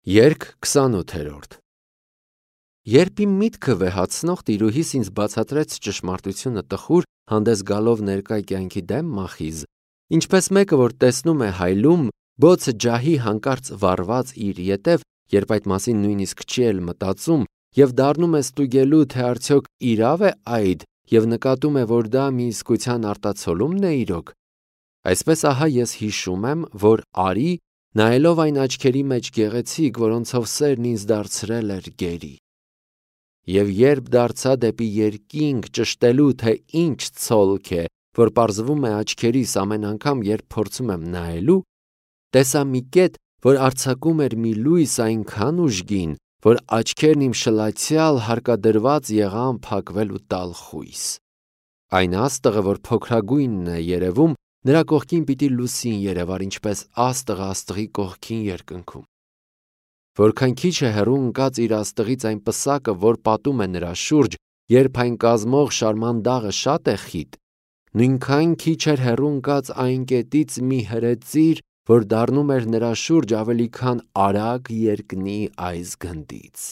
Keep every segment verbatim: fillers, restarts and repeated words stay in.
Երգ քսանութերորդ Երբ իմ միտքը վեհացնող տիրուհիս ինձ բացատրեց ճշմարտությունը տխուր, հանդես գալով ներկա կյանքի դեմ մախիզ, ինչպես մեկը, որ տեսնում է հայլում, բոցը ջահի հանկարծ վառված իր ետև, երբ այդ մասին նույնիսկ չի էլ մտածում, և դառնում է ստուգելու, թե արդյոք իրավ է այդ, և նկատում է, որ դա մի իսկության արտացոլումն է իրոք, այսպես ահա ես հիշում եմ, որ արի, նայելով այն աչքերի մեջ գեղեցիկ, որոնցով սերն ինձ դարձրել էր գերի։ Եվ երբ դարձա դեպի երկինք ճշտելու, թե ինչ ցոլք է, որ պարզվում է աչքերիս ամեն անգամ, երբ փորձում եմ նայելու, տեսա մի կետ, որ արձակում էր մի լույս այնքան ուժգին, որ աչքերն իմ շլացյալ հարկադրված եղան փակվել ու տալ խույս։ Այն աստղը, որ փոքրագույնն է երևում, նրա կողքին պիտի լուսին երևար, ինչպես աստղը աստղի կողքին երկնքում։ Որքան քիչ է հեռու ընկած իր աստղից այն պսակը, որ պատում է նրա շուրջ, երբ այն կազմող շարմանդաղը շատ է խիտ, նույնքան քիչ էր հեռու ընկած այն կետից մի հրեցիր, որ դառնում էր նրա շուրջ ավելի քան արագ երկնի այս գնդից։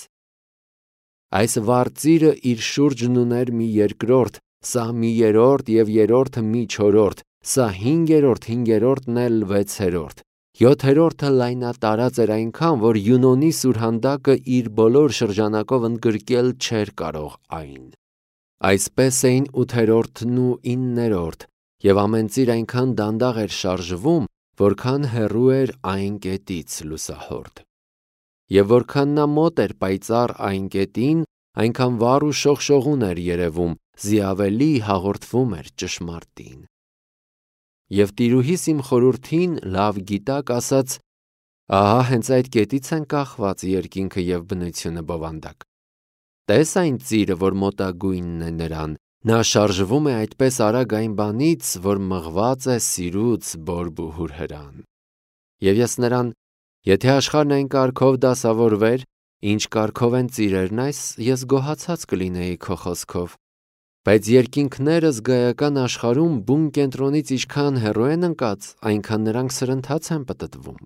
Այս վառ ծիրը իր շուրջն ուներ մի երկրորդ, սա մի երրորդ և երրորդը մի չորրորդ, սա հինգերորդ, հինգերորդն էլ վեցերորդ, յոթերորդը լայնատարած էր այնքան, որ Յունոնի սուրհանդակը իր բոլոր շրջանակով ընդգրկել չէր կարող այն։ Այսպես էին ութերորդն ու իններորդ, և ամեն ծիր այնքան դանդաղ էր շարժվում, որքան հեռու էր այն կետից լուսահորդ։ Եվ որքան նա մոտ էր պայծառ այն կետին, այնքան վառ ու շողշողուն էր երևում, զի ավելի հաղորդվում էր ճշմարտին։ Եվ տիրուհիս իմ խորհրդին լավ գիտակ ասաց. ահա հենց այդ կետից են կախված երկինքը և բնությունը բովանդակ։ Տես այն ծիրը, որ մոտագույնն է նրան, նա շարժվում է այդպես արագ այն բանից, որ մղված է սիրուց բորբուհուր հրան։ Եվ ես նրան. եթե աշխարհն այն կարգով դասավորվեր, ինչ կարգով են ծիրերն այս, ես գոհացած կլինեի քո խոսքով, բայց երկինքները զգայական աշխարհում բուն կենտրոնից ինչքան հեռու են ընկած, այնքան նրանք սրընթաց են պտտվում։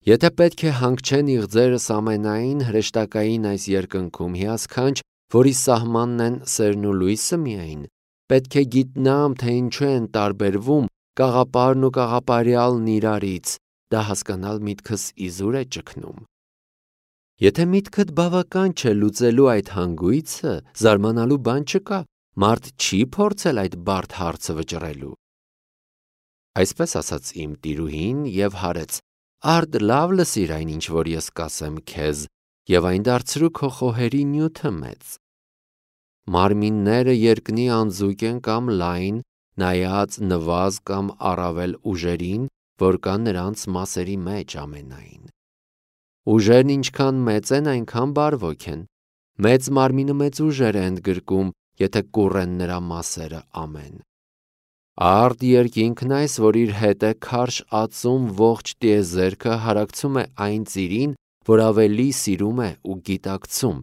Եթե պետք է հանգչեն իղձերս ամենայն հրեշտակային այս երկնքում հիասքանչ, որի սահմանն են սերն ու լույսը միայն, պետք է գիտնամ, թե ինչու են տարբերվում կաղապարն ու կաղապարյալն իրարից, դա հասկանալ միտքս իզուր է ճգնում։ Եթե միտքդ բավական չէ լուծելու այդ հանգույցը, զարմանալու բան չկա, մարդ չի փորձել այդ բարդ հարցը վճռելու։ Այսպես ասաց իմ տիրուհին և հարեց. արդ լավ լսիր այն, ինչ որ ես կասեմ քեզ, և այն դարձրու քո խոհերի նյութը մեծ։ Մարմինները երկնի անձուկ են կամ լայն, նայած նվազ կամ առավել ուժերին, որ կան նրանց մասերի մեջ ամենայն։ Ուժերն ինչքան մեծ են, այնքան բարվոք են։ Մեծ մարմինը մեծ ուժեր է ընդգրկում, եթե կուռ են նրա մասերը ամեն։ Արդ երկինքն այս, որ իր հետ է քարշ ածում ողջ տիեզերքը, հարակցում է այն ծիրին, որ ավելի սիրում է ու գիտակցում։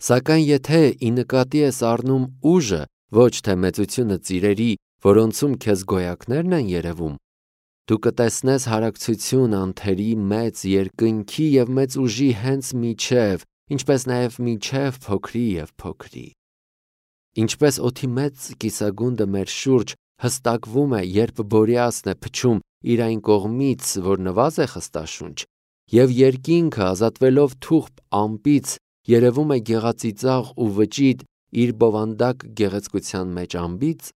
Սակայն եթե ի նկատի ես առնում ուժը, ոչ թե մեծությունը ծիրերի, որոնցում քեզ գոյակներն են երևում, դու կտեսնես հարակցություն անթերի մեծ երկնքի և մեծ ուժի հենց միջև, ինչպես նաև միջև փոքրի և փոքրի։ Ինչպես օդի մեծ կիսագունդը մեր շուրջ հստակվում է, երբ Բորեասն է փչում իր այն կողմից, որ նվազ է խստաշունչ, և երկինքը ազատվելով թուղթ ամպից երևում է գեղածիծաղ ու վճիտ իր բովանդակ գեղեցկության մեջ ամբից,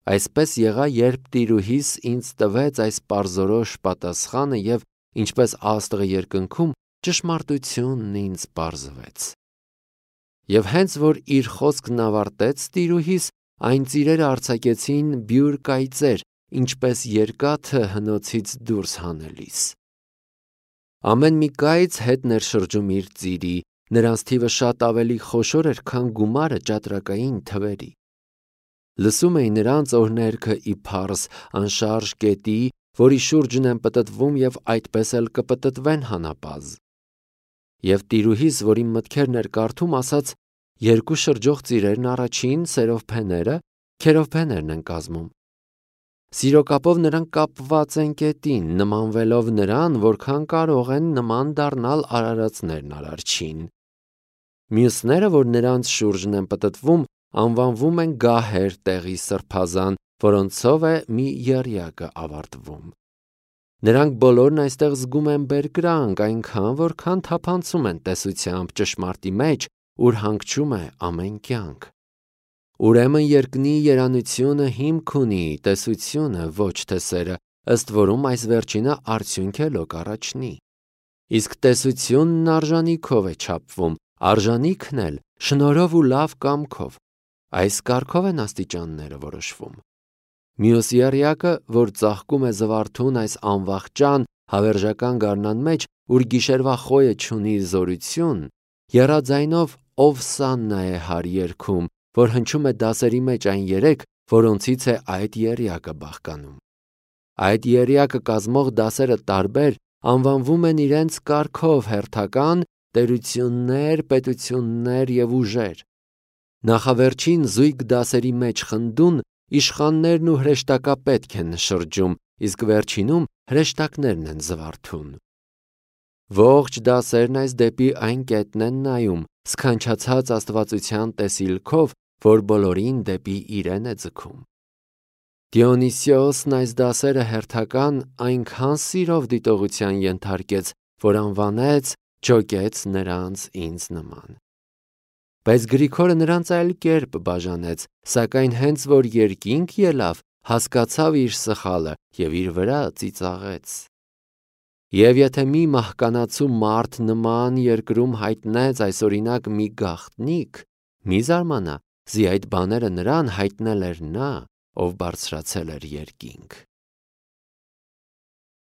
այսպես եղա, երբ տիրուհիս ինձ տվեց այս պարզորոշ պատասխանը և ինչպես աստղը երկնքում, ճշմարտությունն ինձ պարզվեց։ Եվ հենց որ իր խոսքն ավարտեց տիրուհիս, այն ծիրերը արձակեցին բյուր կայծեր, ինչպես երկաթը հնոցից դուրս հանելիս։ Ամեն մի կայծ հետ ներշրջում իր ծիրի, նրանց թիվը շատ ավելի խոշոր էր, քան գումարը ճատրակային թվերի։ Լսում էի նրանց օրհներգը ի փառս անշարժ կետի, որի շուրջն են պտտվում և այդպես էլ կպտտվեն հանապազը։ Եվ տիրուհիս, որ իմ մտքերն էր կարդում, ասաց. երկու շրջող ծիրերն առաջին սերովփեները քերովբեներն են կազմում։ Սիրո կապով նրանք կապված են կետին, նմանվելով նրան, որքան կարող են նման դառնալ արարածներն արարչին։ Մյուսները, որ նրանց շուրջն են պտտվում, անվանվում են գահեր տեղի սրբազան, որոնցով է մի եռյակը ավարտվում։ Նրանք բոլորն այստեղ զգում են բերկրանք, այնքան, որքան թափանցում են տեսությամբ ճշմարտի մեջ, ուր հանգչում է ամեն կյանք։ Ուրեմն երկնի երանությունը հիմք ունի, տեսությունը ոչ թե սերը, ըստ որում այս վերջինը արդյունք է լոկ առաջնի։ Իսկ տեսությունն արժանիքով է չափվում, արժանիքն էլ շնորհով ու լավ կամքով։ Այս կարգով են աստիճանները որոշվում։ Մյուս եռյակը, որ ծաղկում է զվարթուն այս անվախճան հավերժական գարնան մեջ, ուր գիշերվա խոյը չունի զորություն, եռաձայնով Օվսաննա է հարի երգում, որ հնչում է դասերի մեջ այն երեք, որոնցից է այդ եռյակը բաղկանում։ Այդ եռյակը կազմող դասերը տարբեր անվանվում են իրենց կարգով հերթական, տերություններ, պետություններ և ուժեր։ Նախավերջին զույգ դասերի մեջ խնդուն իշխաններն ու հրեշտակապետք են շրջում, իսկ վերջինում հրեշտակներն են զվարթուն։ Ողջ դասերն այս դեպի այն կետն են նայում, սքանչացած աստվածության տեսիլքով, որ բոլորին դեպի իրեն է ձգում։ Դիոնիսիոսն այս դասերը հերթական այնքան սիրով դիտողության ենթարկեց, որ անվանեց «Ջոկեց նրանց ինձ նման»։ Բայց Գրիգորը նրանց այլ կերպ բաժանեց, սակայն հենց որ երկինք ելավ, հասկացավ իր սխալը և իր վրա ծիծաղեց։ Եվ եթե մի մահկանացու մարդ նման երկրում հայտնեց այսօրինակ մի գաղտնիք, մի զարմանա, զի այդ բաները նրան հայտնել էր նա, ով բարձրացել էր երկինք։